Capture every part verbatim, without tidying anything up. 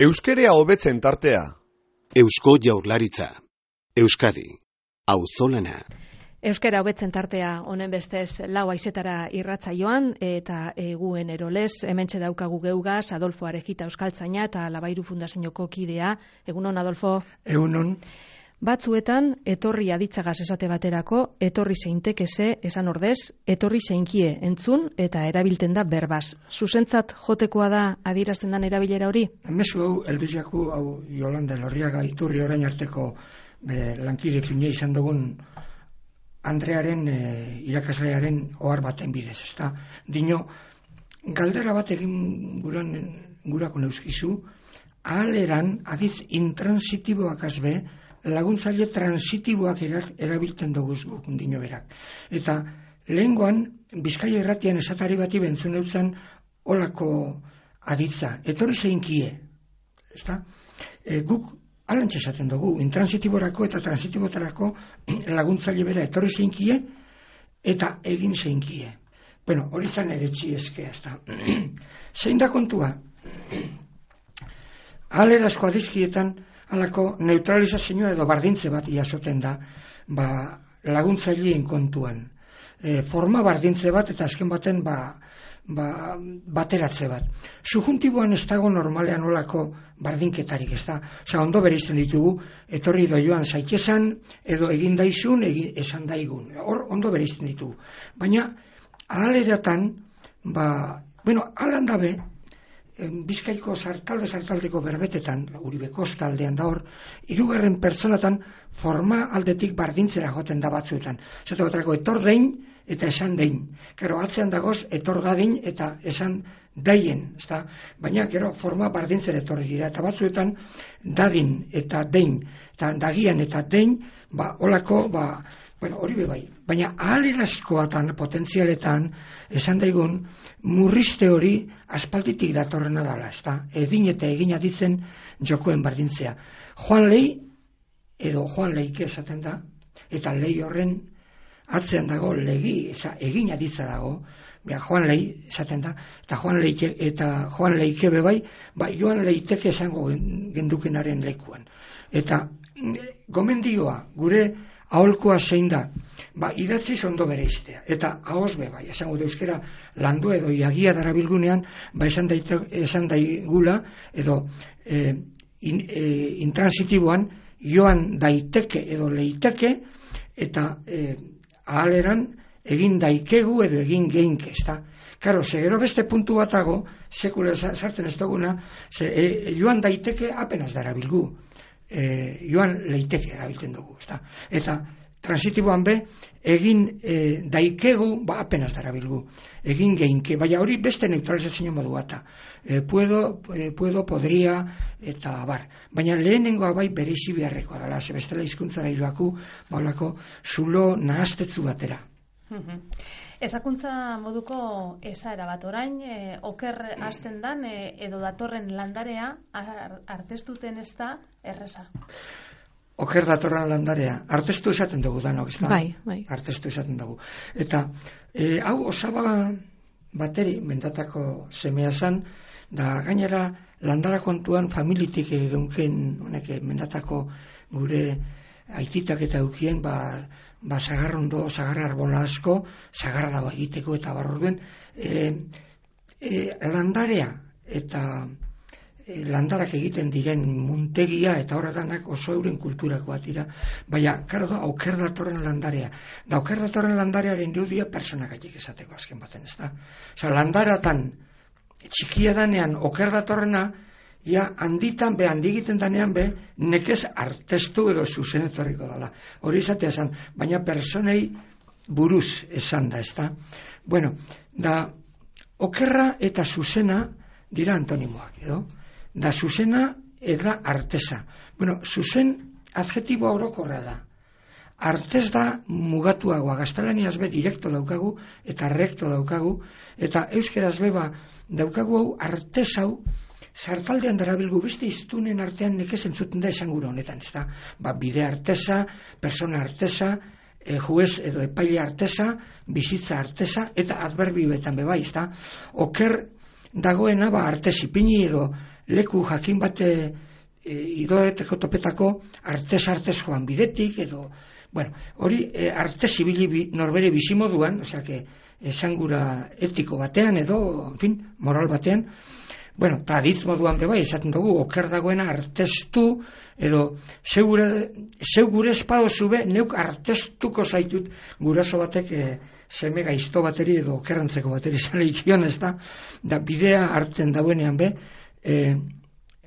Euskerea hobetzen tartea. Eusko Jaurlaritza. Euskadi. Auzolana. Euskera hobetzen tartea honen bestez lau haizetara irratsaioan eta eguen erolez hementxe daukagu geugaz Adolfo Arejita euskaltzaina eta Labairu Fundazioko kidea. Egunon, Adolfo. Egunon. Batzuetan etorri aditzagaz esate baterako, etorri zeintekeze esan ordez, etorri zeinkie entzun eta erabilten da berbaz. Zuzentzat jotekoa da adierazten dan erabilera hori? Mezu hau, elbiziaku, hau Yolanda Elorriaga iturri orain arteko be, lankide fine izan dugun Andrearen e, irakaslearen ohar baten bidez, ezta? Dino, galdera bat egin guran, gurako neuskizu, ahaleran adiz intransitiboak azbe, laguntzaile transitiboak erabiltzen dugu gukun dino berak. Eta lehengoan, Bizkaia irratian esatari bati bentzun eutzen olako aditza, etorri zeinkie, ezta? E, guk alantxe esaten dugu, intransitiborako eta transitibotarako laguntzaile bera etorri zeinkie eta egin zeinkie. Bueno, hori zan eretzi ezkea, ezta? Zein da kontua? Ahalerazko adizkietan halako neutralizazioa edo bardintze bat jasoten da ba, laguntzaileen kontuan. E, forma bardintze bat eta azken baten ba, ba, bateratze bat. Subjuntiboan ez dago normalean olako bardinketarik, ez da. Osa, ondo bereizten ditugu, etorri doioan zaitesan, edo egin daizun, egin, esan daigun. Hor, ondo bereizten ditugu. Baina, ahaleratan, ba, bueno, alan dabe, Bizkaiko sartalde sartaldeko berbetetan, Uribe kostaldean da hor, hirugarren pertsonatan forma aldetik bardintzera joten da batzuetan. Zato baterako etor dein eta esan dein. Gero atzean dagoz etor dadin eta esan daien, ezta? Baina gero forma bardintzera etorri dira eta batzuetan dadin eta dein, eta dagian eta dein, ba olako, ba bueno, hori be bai, baina ahalerazkoatan, potentzialetan, esan daigun, murrizte hori aspalditik datorrena dala, ezta? Edin eta egin aditzen jokoen bardintzea. Joan Lei, edo Joan Leike esaten da, eta lei horren atzean dago legi, eza, egin aditza dago, bea, Joan Lei esaten da, eta Joan Leike, eta Joan Leike be bai, ba, Joan Leiteke esango gendukenaren lekuan. Eta gomendioa, gure aholkoa zein da, ba, idatziz ondo bereiztea, eta ahoz be, bai, esango da euskera landu edo iagia darabilgunean, ba, esan, daite, esan daigula, edo e, in, e, intransitiboan, joan daiteke edo leiteke, eta e, ahaleran egin daikegu edo egin geinke, ezta? Karo, segero beste puntu batago, sekula sartzen ez duguna, ze, e, joan daiteke apenas darabilgu. E, joan leiteke erabiltzen dugu, ezta? Eta transitiboan be, egin e, daikegu, ba, apenas darabilgu, egin geinke, baina hori beste neutralizazio modu bata. E, puedo, e, puedo, podria, eta bar. Baina lehenengoa bai bereizi beharrekoa dela, ze bestela hizkuntzara joaku, baulako zulo nahastetzu batera. Ezakuntza moduko esaera bat orain, e, oker hasten dan e, edo datorren landarea artestuten ez da erresa. Oker datorren landarea, artestu esaten dugu danok, ez da? Bai, bai. Artestu esaten dugu. Eta e, hau osaba bateri mendatako semea zan, da gainera landara kontuan familitik egunken honek mendatako gure aititak eta eukien, ba, ba sagarrondo, sagarra arbola asko, sagarra dago egiteko eta barrorduen, e, e, landarea eta e, landarak egiten diren muntegia eta horretanak oso euren kulturakoa dira, baina, karo da, auker datorren landarea. Da, auker datorren landarearen irudia personakaiek esateko azken baten, ez da? Osa, landaratan, txikia danean, oker datorrena, ja, handitan be, handigiten danean be, nekez artestu edo zuzen etorriko dela. Hori izatea esan, baina personei buruz esan da, ez da? Bueno, da, okerra eta zuzena dira antonimoak, edo? Da, zuzena eta artesa. Bueno, zuzen adjetiboa orokorra da. Artez da mugatuagoa, gaztelaniaz be direkto daukagu eta recto daukagu, eta euskeraz beba daukagu hau artez hau, sartaldean darabilgu beste iztunen artean nekez entzuten da esan gura honetan, ez da? Ba, bide artesa, persona artesa, e, juez edo epaile artesa, bizitza artesa, eta adverbioetan bebai, ez da? Oker dagoena, ba, artesipini edo leku jakin bate e, idoeteko topetako artez-artez joan bidetik, edo, bueno, hori e, artez ibili bi, norbere bizimoduan, osea, que esangura etiko batean, edo, en fin, moral batean, bueno, eta aditz moduan bebai, esaten dugu, oker dagoena artestu, edo, zeu gure espado zube, neuk artestuko zaitut guraso batek e, seme gaizto bateri edo okerrantzeko bateri zara ikion, ez da, da bidea hartzen dauenean be, e,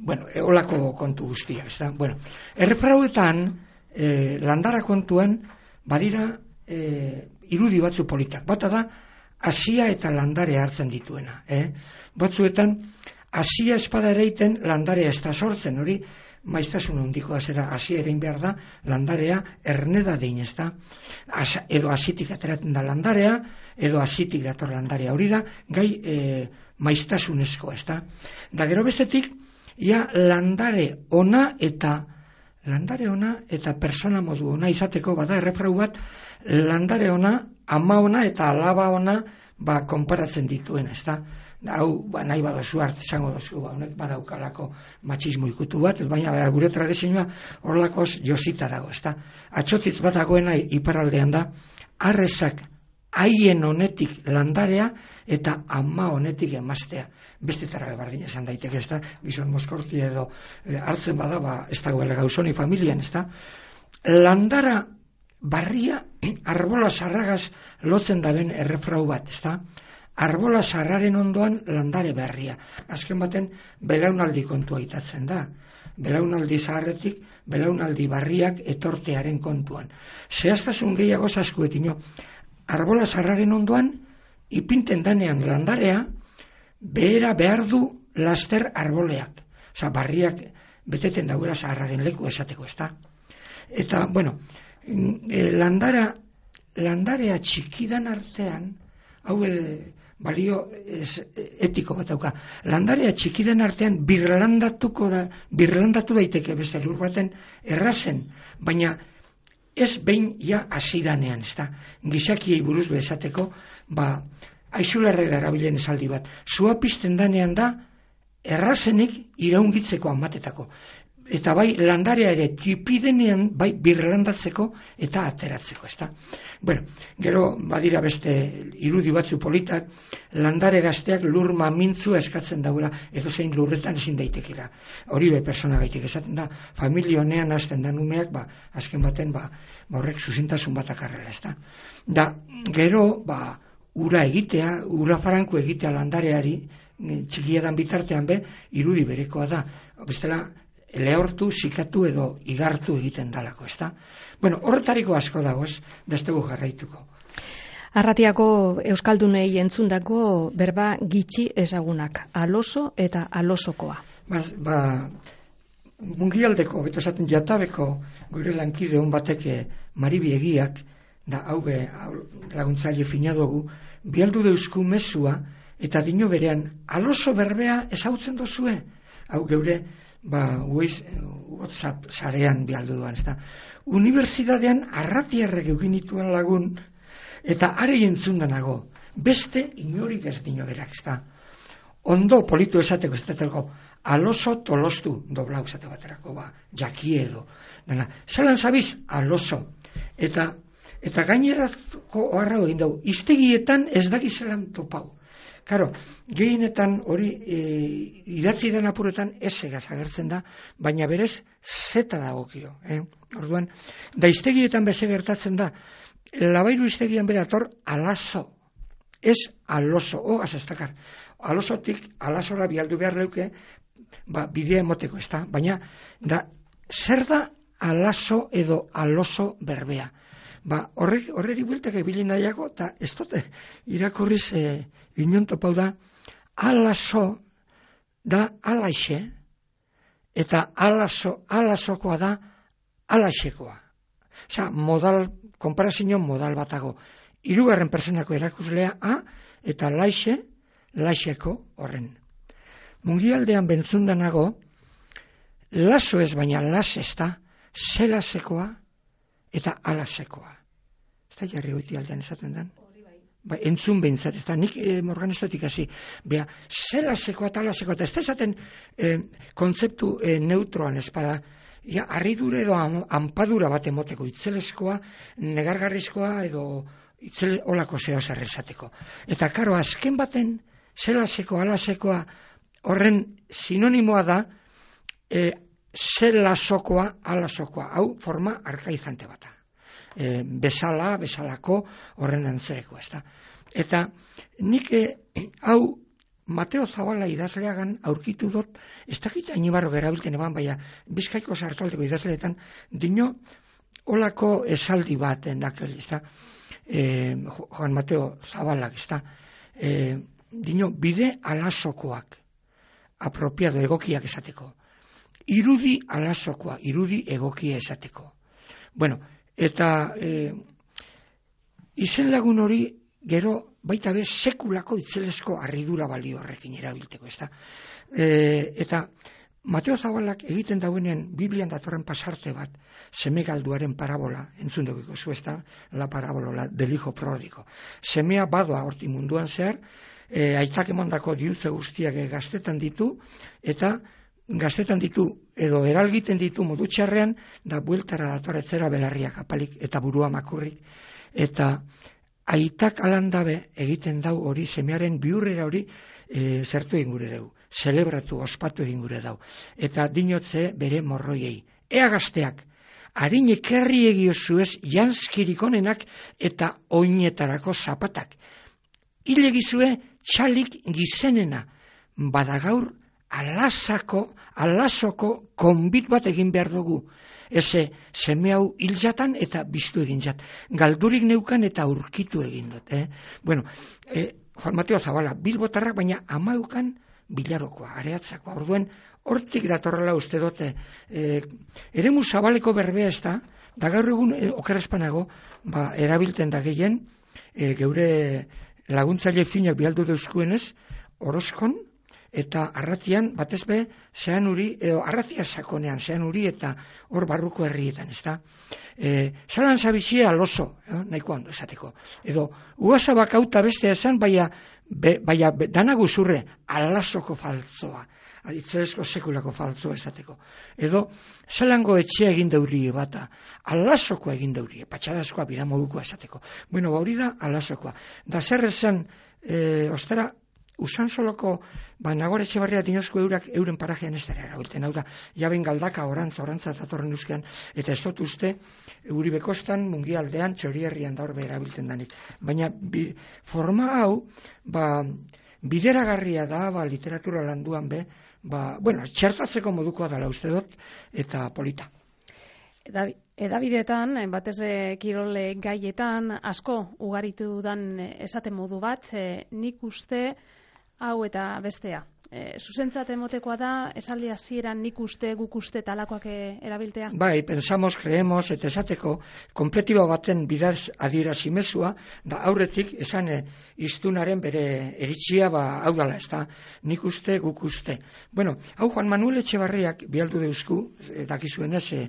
bueno, eolako kontu guztia, ez da, bueno, errefrauetan, e, landara kontuan, badira e, irudi batzu politak, bata da, hasia eta landare hartzen dituena, eh? Batzuetan, hasia espada ereiten, landarea ez da sortzen, hori, maiztasun handikoa zera, hasia erein behar da, landarea erneda dein, ez da, As, edo hasitik ateratzen da landarea, edo hasitik dator landarea, hori da, gai e, maiztasunezko, ez da. Da gero bestetik, ia landare ona eta landare ona eta persona modu ona izateko, bada errefrau bat, landare ona, ama ona eta alaba ona, ba, konparatzen dituen, ez da. Hau, ba, nahi badozu hartz izango dozu, ba, honek badaukalako matxismo ikutu bat, baina ba, gure tradizioa horlakoz josita dago, ez da. Atxotitz bat dagoena iparraldean da, arrezak haien honetik landarea eta ama honetik emaztea. Bestetara berdin esan daiteke, ez da, gizon moskorti edo e, hartzen bada, ba, ez dagoela gauzoni familian, ez da. Landara barria, arbola sarragaz lotzen daben errefrau bat, ez da. Arbola sarraren ondoan landare berria. Azken baten, belaunaldi kontua itatzen da. Belaunaldi zaharretik, belaunaldi barriak etortearen kontuan. Zehaztasun gehiago zaskuetino, arbola sarraren ondoan, ipinten danean landarea, behera behar du laster arboleak. Osa, barriak beteten dauela zaharraren leku esateko, ez da. Eta, bueno, landara, landarea txikidan artean, hau balio ez, etiko bat dauka. Landarea txikiren artean birlandatuko da, birlandatu daiteke beste lur baten errazen, baina ez behin ja hasidanean, ez da. Gizakiei buruz bezateko, ba, aizularre darabilen esaldi bat. Zua pizten danean da, errazenik iraungitzeko amatetako. Eta bai landarea ere tipidenean bai birlandatzeko eta ateratzeko, ezta. Bueno, gero badira beste irudi batzu politak, landare gazteak lur mamintzu eskatzen daula, edo zein lurretan ezin daitekera. Hori be persona gaitik esaten da, familia honean hasten da numeak, ba, azken baten, ba, horrek zuzintasun bat akarrela, ezta. Da, gero, ba, ura egitea, ura faranko egitea landareari, txikiadan bitartean be, irudi berekoa da. Bestela, lehortu, sikatu edo igartu egiten dalako, ezta? Bueno, horretariko asko dago, ez, destegu jarraituko. Arratiako euskaldunei entzundako berba gitxi ezagunak, aloso eta alosokoa. Ba, ba mungialdeko, beto esaten jatabeko, gure lankide hon bateke Maribi Egiak, da hau be laguntzaile fina dugu, bialdu deusku mezua, eta dino berean, aloso berbea ezautzen dozue, hau geure, ba, uiz, WhatsApp sarean bialdu duan, ez da. Unibertsitatean arratiarrek eukinituen lagun, eta are entzundanago, beste inorik ez dino berak, ez da. Ondo politu esateko, ez da, aloso tolostu, doblau esate baterako, ba, jaki edo. Dena, zelan zabiz, aloso. Eta, eta gainerazko oharra egin dugu, iztegietan ez daki zelan topau. Karo, gehienetan hori e, idatzi den apuretan esegaz agertzen da, baina berez zeta dagokio. Eh? Orduan, da iztegietan beze gertatzen da, labairu iztegian bere ator alaso, ez aloso, hogaz ez dakar. Alosotik alasora bialdu behar leuke, ba, bidea emoteko ez da, baina da, zer da alaso edo aloso berbea. Ba, horrek, horreri bueltak ebili nahiago, eta ez dute irakurriz e, inon topau da, alaso da alaixe, eta alaso, alasokoa da alaixekoa. Osa, modal, konparazio modal batago. Hirugarren personako erakuslea A, eta laixe, laixeko horren. Mungialdean bentzundanago, laso ez baina las ez da, zelasekoa, eta alasekoa. Ez da jarri goiti aldean esaten den? ba, entzun behintzat, ez da, nik e, morganistatik hasi, beha, zelasekoa, talasekoa, eta ez da esaten e, kontzeptu e, neutroan espada, ja, arridure edo anpadura bat emoteko, itzeleskoa, negargarrizkoa edo itzele olako zeo zer esateko. Eta karo, azken baten, zelasekoa, alasekoa, horren sinonimoa da, e, zelasokoa, alasokoa, hau forma arkaizante bata. E, bezala, bezalako, horren antzereko, ez da. Eta nik e, hau Mateo Zabala idazleagan aurkitu dut, ez dakit hainibarro gerabilten eban, baina Bizkaiko sartaldeko idazleetan, dino olako esaldi bat endakel, ez da, e, Juan Mateo Zabalak, ez da, e, dino bide alasokoak, apropiado egokiak esateko, irudi alasokoa, irudi egokia esateko. Bueno, eta e, izen lagun hori gero baita be sekulako itzelesko harridura balio horrekin erabilteko, ezta? E, eta Mateo Zabalak egiten dauenean Biblian datorren pasarte bat, seme galduaren parabola, entzun dugiko zu, ezta? La parabola del hijo pródigo. Semea badoa horti munduan zehar, e, aitak emondako diruze guztiak gaztetan ditu, eta gaztetan ditu, edo eralgiten ditu modu txarrean, da bueltara datoretzera belarriak apalik, eta burua makurrik, eta aitak alandabe egiten dau hori, semearen biurrera hori e, zertu egin gure dau, zelebratu, ospatu egin gure dau. Eta dinotze bere morroiei. Ea gazteak, harinek herri egiozuez janskirik onenak eta oinetarako zapatak. Hile gizue txalik gizenena, badagaur alasako, alasoko konbit bat egin behar dugu. Eze, seme hau hilzatan eta biztu egin zat. Galdurik neukan eta aurkitu egin dut. Eh? Bueno, eh, Juan Mateo Zabala, bilbotarrak, baina amaukan bilarokoa, areatzakoa. Orduen, hortik datorrela uste dute. Eh, eremu zabaleko berbea ez da, da gaur egun eh, okerrezpanago, ba, erabilten da gehien, eh, geure laguntzaile finak bialdu deuskuenez, orozkon, eta arratian, batez be, zean uri, edo arratia sakonean, zean uri eta hor barruko herrietan, ez da? E, Zalan zabizia aloso, eh, nahiko ondo esateko. Edo, uasa bakauta beste esan, baina, be, baina be, danagu zurre, alasoko faltzoa, aditzerezko sekulako faltzoa esateko. Edo, zelango etxea egin deuri bata, alasoko egin deuri, patxarazkoa biramodukoa esateko. Bueno, hori da alasokoa. Da zer esan, e, ostera, usan soloko, ba, Nagore Etxebarria dinozko eurak euren parajean ez dara erabilten, hau da, jaben galdaka orantza, orantza datorren euskean, eta ez dut uste, euri bekostan, mungialdean, txorierrian da horbe erabilten danik. Baina, bi, forma hau, ba, bideragarria da, ba, literatura landuan be, ba, bueno, txertatzeko modukoa dela uste dut, eta polita. Edabideetan, batez be kirole gaietan, asko ugaritu dan esaten modu bat, e, nik uste hau eta bestea. E, zuzentzat emotekoa da, esaldi hasieran nik uste, guk uste talakoak erabiltea? Bai, pensamos, creemos, eta esateko, kompletiba baten bidaz adierazi mezua, da aurretik esan e, iztunaren bere eritxia, ba, hau dala, ez da, nik uste, guk uste. Bueno, hau Juan Manuel Etxebarriak bialdu deuzku, e, dakizuen ez, e,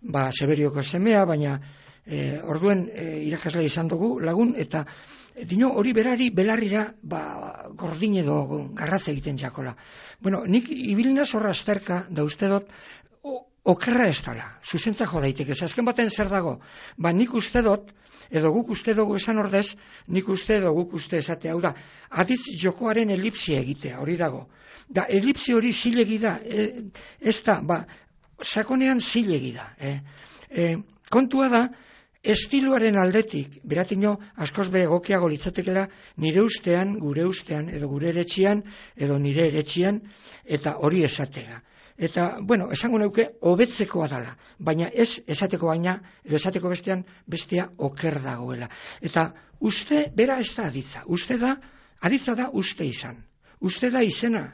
ba, Severioko semea, baina e, orduen e, irakasle izan dugu lagun, eta e, dino hori berari belarrira ba, gordin edo garratza egiten jakola. Bueno, nik ibilnaz horra azterka, da uste dut, okerra ez dala, zuzentza jo daiteke, azken baten zer dago, ba nik uste dut, edo guk uste dugu esan ordez, nik uste edo guk uste esatea, hau da, aditz jokoaren elipsia egitea, hori dago. Da, elipsi hori zilegi da, e, ez da, ba, sakonean zilegi da. Eh? E, kontua da, estiloaren aldetik, beratino askoz be egokiago litzatekela nire ustean, gure ustean, edo gure eretxian, edo nire eretxian, eta hori esatega. Eta, bueno, esango nauke, hobetzekoa dala, baina ez esateko baina, edo esateko bestean, bestea oker dagoela. Eta uste, bera ez da aditza, uste da, aditza da uste izan. Uste da izena,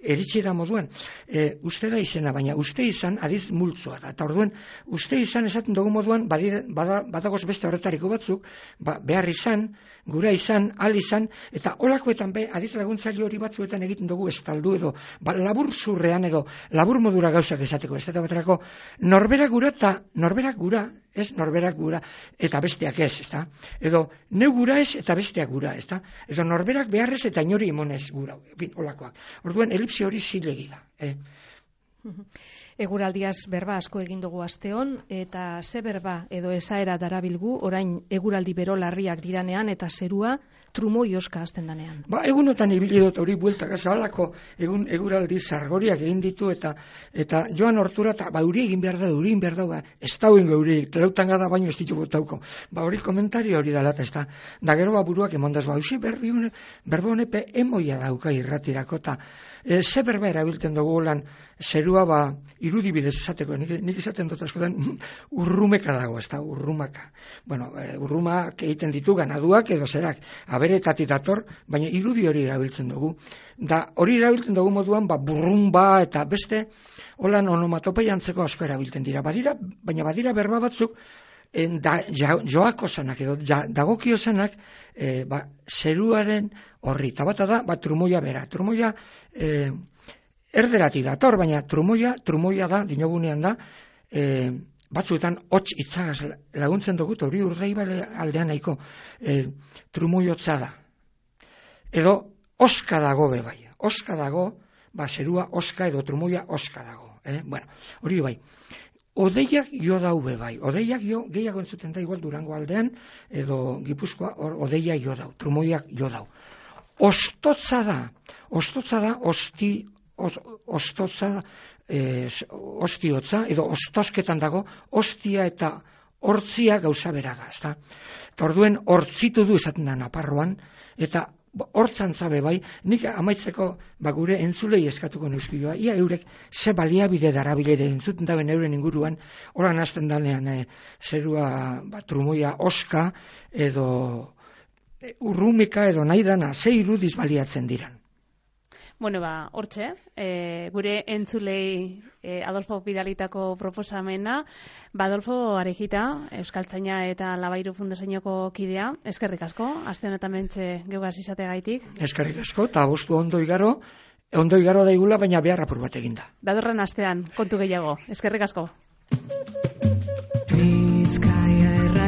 eritsi da moduan, e, uste da izena, baina uste izan adiz multzoa da. Eta orduen, uste izan esaten dugu moduan, badire, bada, badagoz beste horretariko batzuk, ba, behar izan, gura izan, al izan, eta olakoetan be, adiz laguntzaile hori batzuetan egiten dugu estaldu edo, ba, labur zurrean edo, labur modura gauzak esateko, ez da baterako, norberak gura eta norberak gura, ez norberak gura, eta besteak ez, ez da? Edo, neu gura ez eta besteak gura, ez da? Edo norberak beharrez eta inori imonez gura, bin, olakoak. Orduan, elipsi hori zilegi da, eh? Eguraldiaz berba asko egin dugu asteon, eta ze berba edo esaera darabilgu, orain eguraldi bero larriak diranean eta zerua trumoi oska hasten danean. Ba, egunotan ibili dut hori bueltaka zabalako egun eguraldi zargoriak egin ditu eta eta joan hortura eta ba uri egin behar da, uri egin behar da, ba, ez dauen gauri, telautan gada baino ez ditu botauko. Ba hori komentario hori dala, ez da. Da gero ba buruak emondaz, ba, usi berbi hone, berbe honepe emoia dauka irratirako eta e, ze berba erabiltzen dugu lan zerua ba irudibidez esateko, nik, nik esaten dut askotan urrumeka dago, ez da, urrumaka. Bueno, e, urrumak egiten ditu ganaduak edo zerak, aberetatik dator, baina irudi hori erabiltzen dugu. Da hori erabiltzen dugu moduan, ba, burrumba eta beste, holan onomatopei antzeko asko erabiltzen dira. Badira, baina badira berba batzuk, en, da, ja, joako zanak edo ja, dagokio zanak, e, ba, zeruaren horri. Eta bata da, ba, trumoia bera. Trumoia, e, erderati dator, baina trumoia, trumoia da, dinogunean da, e, batzuetan hots itzagaz laguntzen dugu, hori urdei bale aldean nahiko, e, trumoiotza da. Edo, oska dago be bai, oska dago, ba, zerua oska edo trumoia oska dago. Eh? Bueno, hori bai. Odeiak jo dau be bai, odeiak jo, gehiago entzuten da igual Durango aldean, edo Gipuzkoa, or, odeiak jo dau, trumoiak jo dau. Ostotza da, ostotza da, osti, Os, ostotza, eh, ostiotza, edo ostosketan dago, ostia eta hortzia gauza bera da, ezta? Eta orduen hortzitu du esaten da Naparroan, eta hortzantza be bai, nik amaitzeko ba gure entzulei eskatuko neuskioa, ia eurek ze baliabide darabilere entzuten daben euren inguruan, oran hasten danean eh, zerua ba, trumoia oska, edo eh, urrumika, edo nahi dana, ze irudiz baliatzen diran. Bueno, ba, hortxe, e, gure entzulei e, Adolfo bidalitako proposamena, ba, Adolfo Arejita, Euskaltzaina eta Labairu Fundazioko kidea, eskerrik asko, aste honetan mentxe geugaz izategaitik. Eskerrik asko, eta bostu ondo igaro, ondo igaro daigula, baina behar apur bat eginda. Datorren astean, kontu gehiago, eskerrik asko. Bizkaia erra